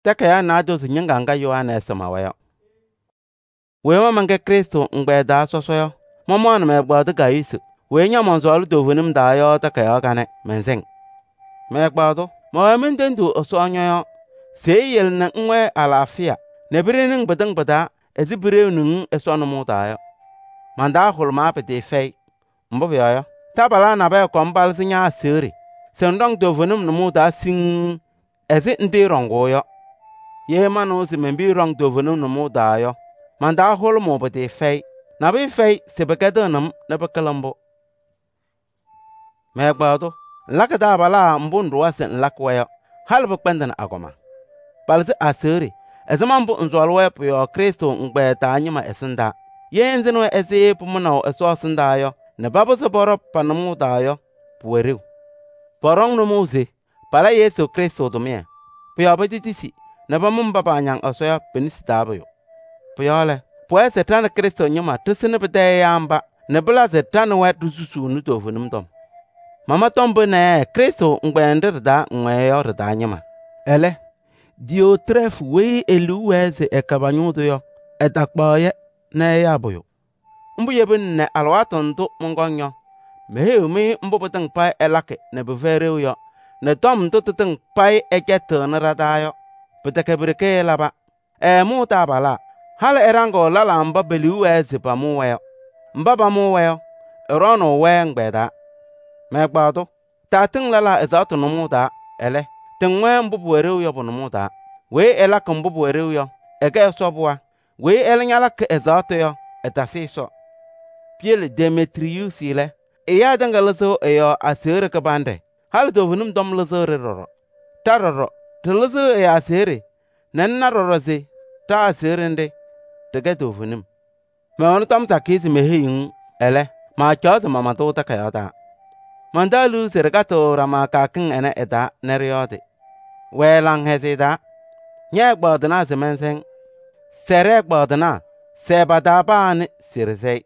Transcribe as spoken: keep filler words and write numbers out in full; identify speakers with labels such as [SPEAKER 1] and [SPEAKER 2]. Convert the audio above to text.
[SPEAKER 1] Takayaɣ naadozo ñɩŋga ŋga Yohanɛɛsɩ mawa yɔ. Weyi ma mɛnkɛ Krɩstʋ ɛgbɛyɛ taa sɔsɔ yɔ, mamaɣnɩ mɛ-ɛgbaadʋ Gayuusi weyi ña-mɔnsɔɔlɩ toovenim taa yɔ takayaɣ kanɛ mɛnsɩŋ. Mɛ-ɛgbaadʋ, mɛwɛɛ mentendiɣ Ɛsɔ ñɔ-yɔɔ se eyele nɛ ŋwɛɛ alaafɩya nɛ piɖeni-ŋ pɩtɩŋa pɩ-taa ɛzɩ piɖeɣni-ŋ Ɛsɔ nʋmɔʋ taa yɔ. Man-taa hʋlʋmaa pɩtɩɩfɛyɩ. Mbʋ pʋyɔɔ yɔ, taabalaa nabɛyɛ kɔm palɩzɩ ña-aseɣɖe se ŋɖɔŋ toovenim nʋmɔʋ taa siŋŋ ɛzɩ ŋtɩɩɖɔŋʋʋ yɔ. Ye manɩwa se men-piya ɖɔŋ toovenim nʋmɔʋ taa yɔ, man-taa hʋlʋmʋʋ pɩtɩɩfɛyɩ. Nabʋyʋ fɛyɩ se pɩkɛdɩɣnɩ-m nɛ pɩkɩlɩ mbʋ. Mɛ-ɛgbaadʋ, ŋlakɩ taabalaa mbʋ ŋɖʋwa se ŋlakɩ-wɛ yɔ, halɩ pɩkpɛndɩnɩ agɔma. Palɩzɩ aseɣɖe ɛzɩma mbʋ ŋsɔɔlɩ-wɛ pʋ-yɔɔ Krɩstʋ ɛgbɛyɛ taa ñɩma ɛsɩndaa. Ye ŋsɩnɩ-wɛ ɛzɩ pʋmʋnaʋ Ɛsɔ ɛsɩndaa yɔ nɛ papɩzɩ pɔɖɔ pa-nʋmɔʋ taa yɔ, pʋwɛ ɖeu. Pɔɖɔŋ nʋmɔʋ se pala Yesu Krɩstʋ tʋmɩyɛ. Pʋ-yɔɔ petitisi nɛ pamʋ mba paañaŋ Ɛsɔ yɔ pe-nesi taa pʋyʋ. Pʋ-yɔɔ lɛ, pʋwɛɛ se ɖa nɛ Krɩstʋ ñɩma ɖɩsɩnɩ pɩtɛ ɛyaa mba nɛ pɩla se ɖa nɛ wɛ ɖisusuuni toovenim tɔm. Mama tɔm pɩnɛ Krɩstʋ ɛgbɛyɛ nɖɩ ɖɩ-taa ŋwɛɛ yɔ ɖɩ-taa ñɩma. Ɛlɛ, Diyootrɛɛfɩ weyi e-liu wɛɛ se ɛkɛ pa-ñʋʋ tʋ yɔ, ɛtakpaɣ-yɛ nɛ ɛyaa pʋyʋ. Mbʋ yebina nɛ alɩwaatʋ ndʋ mɔnkɔŋ yɔ, meheyiɣ-mɩ mbʋ pɩtɩŋa payɩ ɛlakɩ nɛ pɩfɛyɩ ɖeu yɔ nɛ tɔm ndʋ tɩtɩŋa payɩ ɛcɛtɩɣnɩ ɖa-taa yɔ. Pɩtɛkɛ pi-ɖeke ɛlaba. Ɛɛmʋʋ taabalaa, halɩ ɛɖaŋɩɣ lɛlaa mba pe-liu wɛɛ se pamʋʋ-wɛ yɔ. Mba pamʋʋ-wɛ yɔ, ɛɖɔɔnʋʋ-wɛ ɛgbɛyɛ taa. Mɛ-ɛgbaadʋ, taatɩŋ lɛlaa ɛzaɣtʋ nʋmɔʋ taa, ɛlɛ, tɩŋ-wɛ mbʋ pʋwɛ ɖeu yɔ pʋ-nʋmɔʋ taa. Weyi ɛlakɩ mbʋ pʋwɛ ɖeu yɔ, ɛkɛ Ɛsɔ pɩɣa. Weyi ɛlɛ ñalakɩ ɛzaɣtʋ yɔ, ɛtasɩ Ɛsɔ. Piyele Demetriyuusi lɛ, ɛyaa tɩŋa lɩzɩɣ ɛ-yɔɔ aseɣɖe kɩbanɖɛ, halɩ toovenim tɔm lɩzɩɣ-ɖɩ ɖɔɖɔ. Ɖa ɖɔɖɔ, ɖɩlɩzɩɣ ɛ-yɔɔ aseɣɖe nɛ ŋna ɖɔɖɔ se ɖa-aseɣɖe nɖɩ ɖɩkɛ toovenim. Mɛwɛnɩ tɔm sakɩyɛ se meheyiɣ-ŋ, ɛlɛ, maacaɣ se mama-tʋ takayaɣ taa. Man-taa liu se ɖɩkatɩɣ ɖama kɩyakɩŋ ɛnɛ ɛ-taa nɛ ɖɩyɔɔdɩ. Wɛɛ laŋhɛzɩyɛ taa. Ñɛ-ɛgbaadɩnaa se mɛnsɛ-ŋ. Sɛ ɖɛ-ɛgbaadɩnaa, sɛɛ pa-taa paa nɛ se ɖɩsɛ-ɩ.